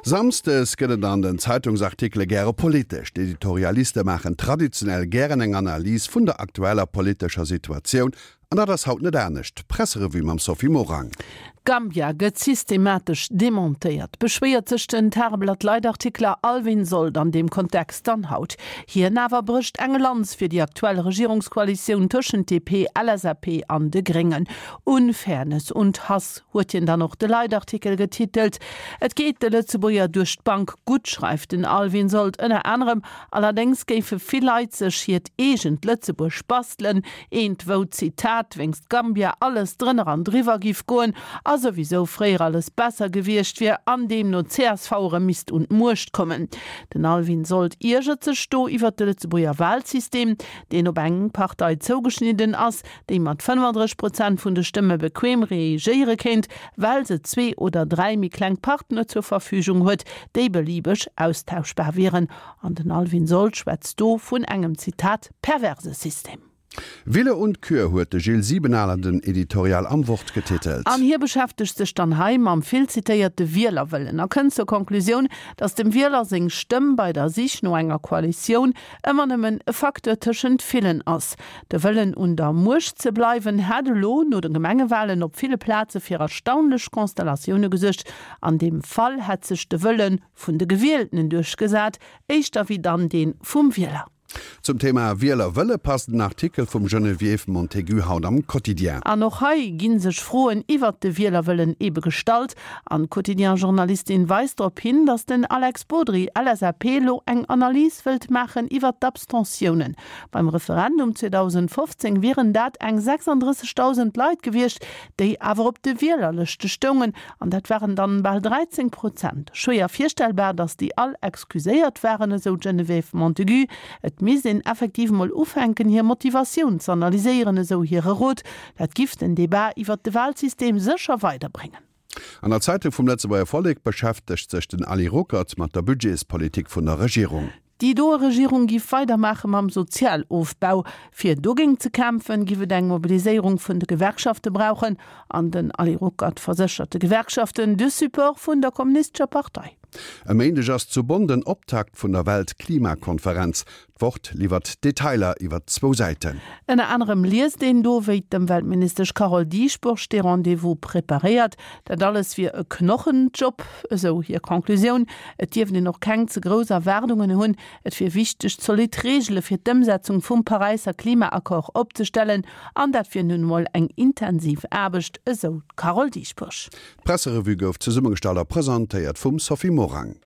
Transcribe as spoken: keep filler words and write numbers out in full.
Samsdes gëtt et an den Zeitungsartikele gäre politesch. D'Editorialiste maachen traditionell gären eng Analys vun der aktueller politescher Situatioun. An dat ass haut net anescht. D'Presserevue mam Sophie Morang. Gambia gëtt systematesch demontéiert, beschwéiert sech den Tageblatt-Leitartikler Alvin Sold an deem Kontext dann haut. Hien awer brécht eng Lanz fir déi aktuell Regierungskoalitioun tëschent D P, L S A P an de Gréngen. Unfairness und Hass huet hien dann och de Leitartikel getitelt. Et geet de Lëtzebuerger duerch d'Bank gutt, schreift den Alvin Sold ënner anerem, allerdéngs géife vill Leit sech hiert eegent Lëtzebuerg bastelen, eent wou, Zitat, wéinst Gambia alles drënner an driwwer giff goen a souwisou fréier alles besser gewiescht wier an deemno C S V erëm misst un d'Muecht kommen. Den Alvin Sold iergert sech do iwwert de Lëtzebuerger Walsystem, deen op eng Partei zougeschnidden ass, déi mat fënnefandrësseg Prozent vun de Stëmme bequem regéiere kéint, well se zwee oder dräi méi kleng Partner zur Verfügung huet, déi beliebeg austauschbar wieren. An den Alvin Sold schwätzt do vun engem, Zitat, perverse System. Wille und Kür huet de Gilles Sibenaler den Editorial am Wort getitelt. An hie beschäftegt sech dann hei mam vill zitéierte Wielerwëllen a kënnt zur Konklusioun, datt dem Wieler seng Stëmm bei der Sich no enger Koalitioun ëmmer nëmmen e Facteur tëschent villen ass. De Wëllen un der Muecht ze bleiwen hätt elo no de Gemengewalen op ville Plaze fir erstaunlech Konstellatioune gesuergt. An deem Fall hätt sech de Wëlle vun de Gewieltenen duerchgesat, éischter wéi dann dee vum Wieler. Zum Thema Wielerwëlle passt den Artikel vum Geneviève Montaigu haut am Quotidien. An och hei ginn sech Froen iwwert de Wielerwëllen ebe gestallt. An d'Quotidien-Journalistin weist drop hin, datt den Alex Bodry, L S A P, lo eng Analys wëllt maachen iwwert d'Abstentiounen. Beim Referendum zweedausendfofzéng wieren dat eng sechsandrëssegdausend Leit gewiescht, déi awer op de Wielerlëschte stoungen, an dat waren dann bal dräizéng Prozent. Schwéier virstellbar, datt déi all excuséiert waren, esou d'Geneviève Montaigu. Et misst een effektiv mol ufänken, hir Motivatioun z'analyséieren, esou hire Rot. Dat giff den Debat iwwert de Walsystem sécher weiderbréngen. An der Zeitung vum Lëtzebuerger Vollek beschäftegt sech den Ali Ruckert mat der Budgetspolitik vun der Regierung. Déi doe Regierung giff weidermaache mam Sozialofbau. Fir dogéint ze kämpfen, giff et eng Mobiliséierung vun de Gewerkschafte brauchen. An den Ali Ruckert verséchert de Gewerkschaften de Support vun der Kommunistescher Partei. E Méindeg ass zu Bonn den Optakt vun der Weltklimakonferenz. D'Wort liwwert Detailer iwwer zwou Säiten. Ënner anerem liest een do, wéi d'Ëmweltministesch Carole Dieschbourg dee Rendez-vous preparéiert. Dat alles wier e Knochenjob, esou hir Conclusioun. Et dierft een och keng ze grouss Erwaardungen hunn. Et wier wichteg, zolidd Reegele fir d'Ëmsetzung vum Paräisser Klimaaccord opzestellen. An dat wier nun emol eng intensiv Aarbecht, esou d'Carole Dieschbourg. D'Presserevue gouf zesummegestallt a presentéiert vum Sophie Morang.